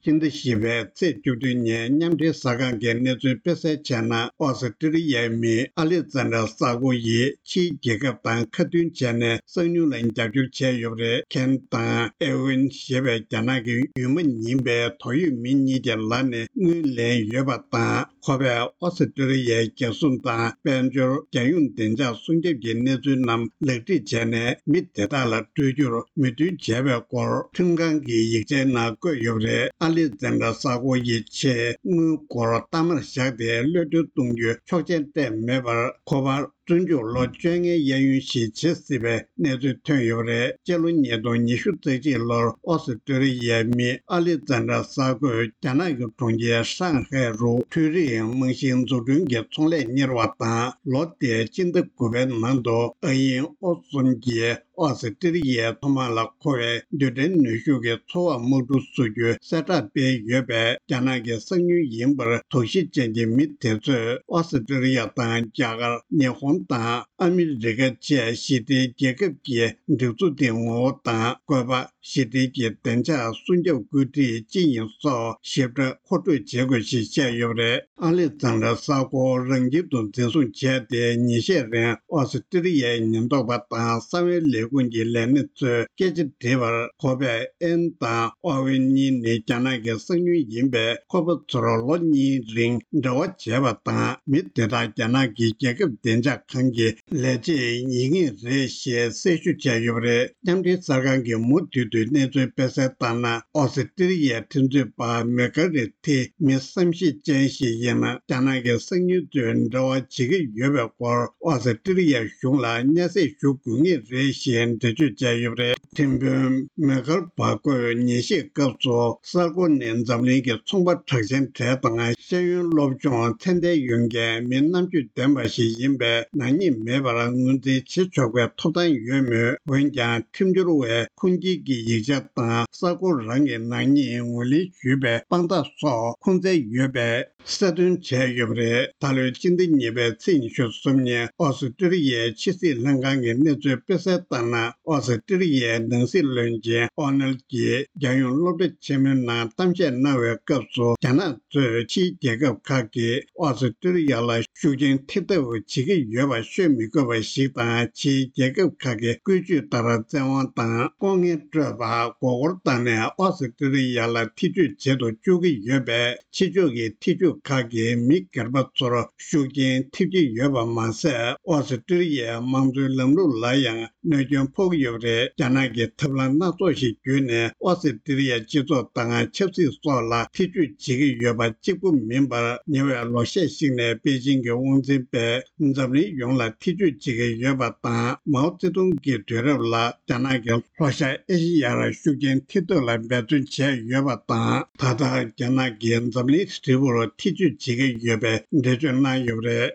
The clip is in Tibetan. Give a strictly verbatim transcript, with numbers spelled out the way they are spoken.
ཕྱི་ཟླ་བཞི་པའི་ཚེས་བཅུ་བདུན་ཉིན་མཉམ་འབྲེལ་གསར་ཁང་གིས་གནས་ཚུལ་སྤེལ་གསལ་བྱས་ན། ཨོ་སི་ཀྲི་ལི་ཡའི་མི་ཨ་ལེག་ཛན་དྲ་ས་ཀོ་ཡིས་ཕྱིའི་རྒྱལ་ཁབ་དང་ཁ་མཐུན་བྱས་ནས་གསང་ཉུལ་ལ་རྒྱབ་སྐྱོར་བྱས་ཡོད་པ་རེད། ཁེན་དང་ཨེ་ཝིན་ཞེས་པའི་རྒྱ་ནག་གི་ཡུལ་མི་ཡིན་པའི་ཏོག་དབྱིབས་མི་གཉིས་ཀྱི་ལག་ནས་དངུལ་ལེན་ཡོད་པ་དང་། ཁོ་པས་ཨོ་སི་ཀྲི་ལི་ཡའི་རྒྱལ་སྲུང་དང་དཔལ་འབྱོར། རྒྱལ་ཡོངས་བདེ་འཇགས་སྲུང་སྐྱོབ་ཀྱི་གནས་ཚུལ་རྣམས་ལེགས་སྒྲིག་བྱས་ནས། མི་དེ་དག་ལ་སྤྲོད་རྒྱུར་མོས་མཐུན་བྱས་པའི་སྐོར་ཁྲིམས་ཁང་གི་ཡིག་ཆའི་ནང་བཀོད་ཡོད་པ་རེད། ཨ་ལེག་ཛན་དྲ་ས་ཀོ་ཡི་ཆེད་དངུལ་སྒོར་གཏའ་མར་བཞག་སྟེ་གློད་གྲོལ་གཏོང་རྒྱུའི་ཆོག་མཆན་སྤྲད་མེད་པར། ཁོ་པར་བཙོན་འཇུག་ལོ་བཅོ་ལྔའི་གཡས་གཡོན་ཞིག་བྱེད་སྲིད་པའི་གནས་ཚུལ་ཐོན་ཡོད་པ་རེད། སྤྱི་ལོ་ཉིས་སྟོང་ཉི་ཤུ་རྩ་གཅིག་ལོར་ཨོ་སི་ཀྲི་ལི་ཡའི་མི་ཨ་ལེག་ཛན་དྲ་ས་ཀོས་རྒྱ་ནག་གི་གྲོང་ཁྱེར་ཧྲང་ཧའེ་རུ་འཕྲུལ་རིག་རྨང་གཞིའི་འཛུགས་སྐྲུན་གྱི་ཚོང་ལས་གཉེར་བ་དང་། ལོ་དེའི་སྤྱི་ཟླ་དགུ་པའི་ནང་དུ་ཨ་དབྱིན་ཨོ་གསུམ་གྱིས་ཨོ་སི་ཀྲི་ལི་ཡའི་མཚོ་དམག་ལ་མཁོ་བའི་རྡུལ་ཕྲན་ནུས་ཤུགས་ཀྱི་ཚོར་བ་དམག་གྲུ་བཟོ་རྒྱུའི་གསལ་བསྒྲགས་སྤེལ་ཡོད་པས། རྒྱ་ནག་གི་གསང་ཉུལ་ཡིན་པར་དོགས་གཞི་ཅན་གྱི་མི་དེ་ཚོས་ཨོ་སི་ཀྲི་ལི་ཡ་དང་རྒྱ་གར། ཉི་ཧོང་དང་ཨ་མི་རི་ཀ་བཅས་ཞི་བདེའི་རྒྱལ་ཁབ་ཀྱི་སྒྲིག་འཛུགས་དེའི་ངོ་བོ་དང་། བཀོད་པ། ཞི་བདེ་ཀྱི་བདེ་འཇགས་སྲུང་སྐྱོབ་བཀོད་སྒྲིག་ཅི་ཡིན་སོགས་ཞིབ་ཕྲ་མཁོ་སྤྲོད་བྱེད་དགོས་ཞེས་བཤད་ཡོད་པ་རེད། ཨ་ལེག་ཛན་དྲ་ས་ཀོ་རང་ཁྱིམ་དུ་འཛིན་བཟུང་བྱས་ཏེ། ཉིན་ཤས་རིང་ཨོ་སི་ཀྲི་ལི་ཡའི་ཉེན་རྟོག་པ་དང་གསང་བའི་ལས་ཁུངས་ཀྱི་ལས་སྣེ་ཚོས་སྐད་ཆ་དྲིས་པར། ཁོ་པས་ཨེན་དང་ཨོ་ཝེན་གཉིས་ནི་རྒྱ་ནག་གི་གསང་ཉུལ་ཡིན་པས། ཁོ་པ་ཚོར་ལོ་གཉིས་རིང་འབྲེལ་བ་བྱས་པ་དང་། མི་དེ་དག་རྒྱ་ནག་གི་རྒྱལ་ཁབ་བདེ་འཇགས་ཁང་གི་ལས་བྱེད་ཡིན་ངེས་རེད་ཞེས་གསལ་ཞུ་བྱས་ཡོད་པ་རེད། མཉམ་འབྲེལ་གསར་ཁང་གིས་མུ་མཐུད་དུ་གནས་ཚུལ་སྤེལ་གསལ་ལྟར་ན། ཨོ་སི་ཀྲི་ལི་ཡའི་ཁྲིམས་རྩོད་པ་མེ་ཀར་རི་ཐི་མི་བསམ་ཤེས་ཅན་ཞིག་ཡིན་ན། རྒྱ་ནག་གི་གསང་ཉུལ་ཚོས་འབྲེལ་བ་བྱེད་ཀྱི་ཡོད་པའི་སྐོར་ཨོ་སི་ཀྲི་ལི་ཡའི་གཞུང་ལ་སྙན་སེང་ཞུ་དགོས་ངེས་རེད་ཞེས་འགྲེལ་བརྗོད་བྱས་ཡོད་པ་རེད། ཁྲིམས་དཔོན་མེ་ཀར་བྷ་ཀོས་ཉིན་ཤས་སྐབས་སུ་གསར་འགོད་ནས་འཛམ་གླིང་གི་ཚོང་པ་གྲགས་ཅན་གྲས་དང་། ཤེས་ཡོན་སློབ་སྦྱོང་ཚད་ལྡན་ཡོད་མཁན་མི་རྣམ་དཔྱོད་ལྡན་པ་ཞིག་ཡིན་པས། ནག་ཉེས་མེད་པར་ངོས་འཛིན་བྱེད་ཆོག་པའི་ཐོབ་ཐང་ཡོད་མོད། འོན་ཀྱང་། ཁྲིམས་སྦྱོར་བས་ཁུངས་སྐྱེལ་གྱི་ཡིག་ཆ་དང་། གསར་འགོད་རང་གི་ནག་ཉེས་ངོས་ལེན་ཞུས་པའི་དཔང་རྟགས་སོགས་ཁུངས་བཙན་ཡོད་པས། གསལ་སྟོན་བྱས་ཡོད་པ་རེད། ད་ལོའི་སྤྱི་ཟླ་གཉིས་པའི་ཚེས་ཉི་ཤུ་གསུམ་ཉིན། ཨོ་སི་ཀྲི་ལི་ཡའི་ཕྱི་སྲིད་ལྷན་ཁང་གི་གནས་ཚུལ་སྤེལ་གསལ་ལྟར་ན། ཨོ་སི་ཀྲི་ལི་ཡའི་ནང་སྲིད་བློན་ཆེན་ཨོ་ནལ་གྱིས་རྒྱལ་ཡོངས་སློབ་གྲྭ་ཆེན་མོའི་ནང་གཏམ་བཤད་གནང་བའི་སྐབས་སུ། རྒྱ་ནག་གཙོས་ཕྱིའི་རྒྱལ་ཁབ་ཁག་གིས་ཨོ་སི་ཀྲི་ལི་ཡ་ལ་ཤུགས་རྐྱེན་ཐེབས་ཐབས་བྱེད་ཀྱི་ཡོད་པ་ཤོད་མི་དགོས་པ་ཞིག་དང་། ཕྱིའི་རྒྱལ་ཁབ་ཁག་གི་བཀོད་ཇུས་ལྟར་བཙན་དབང་དང་ལྐོག་རྔན་སྤྲོད་པ། མགོ་སྐོར་བཏང་ནས་ཨོ་སི་ཀྲི་ལི་ཡ་ལ་ཐེ་ཇུས་བྱེད་དུ་བཅུག་གི་ཡོད་པས། ཕྱི་ཕྱོགས་ཀྱི་ཐེ་ཇུས་ཁག་གིས་མི་སྒེར་པ་ཚོར་ཤུགས་རྐྱེན་ཐེབས་ཀྱི་ཡོད་པ་མ་ཟད། ཨོ་སི་ཀྲི་ལི་ཡའི་དམངས་གཙོའི་ལམ་ལུགས་ལ་ཡང་གནོད་སྐྱོན་ཕོག་གི་ཡོད་པ་རེད། རྒྱ་ནག་གིས་ཐབས་ལམ་སྣ་ཚོགས་ཤིག་བརྒྱུད་ནས་ཨོ་སི་ཀྲི་ལི་ཡའི་སྤྱི་ཚོགས་དང་ཆབ་སྲིད་སོགས་ལ་ཐེ་ཇུས་བྱེད་ཀྱི་ཡོད་པ་གཅིག་པུ་མིན་པར། ཉེ་བའི་ལོ་ཤས་ཤིག་ནས་པེ་ཅིང་གི་དབང་འཛིན་པས་འཛམ་གླིང་ཡོངས་ལ་ཐེ་ཇུས་བྱེད་ཀྱི་ཡོད་པ་དང་། མའོ་ཙེ་ཏུང་གི་དུས་རབས་ལ་རྒྱ་ནག་གིས་ལྷོ་ཤར་ཨེ་ཤེ་ཡ་ལ་ཤུགས་རྐྱེན་ཐེབས་ཐབས་ལ་འབད་བརྩོན་བྱས་ཡོད་པ་དང་། ད་ལྟ་རྒྱ་ནག་གིས་འཛམ་གླིང་ཧྲིལ་པོར་ཐེ་ཇུས་བྱེད་ཀྱི་ཡོད་པའི་འགྲེལ་བརྗོད་གནང་ཡོད་པ་རེད།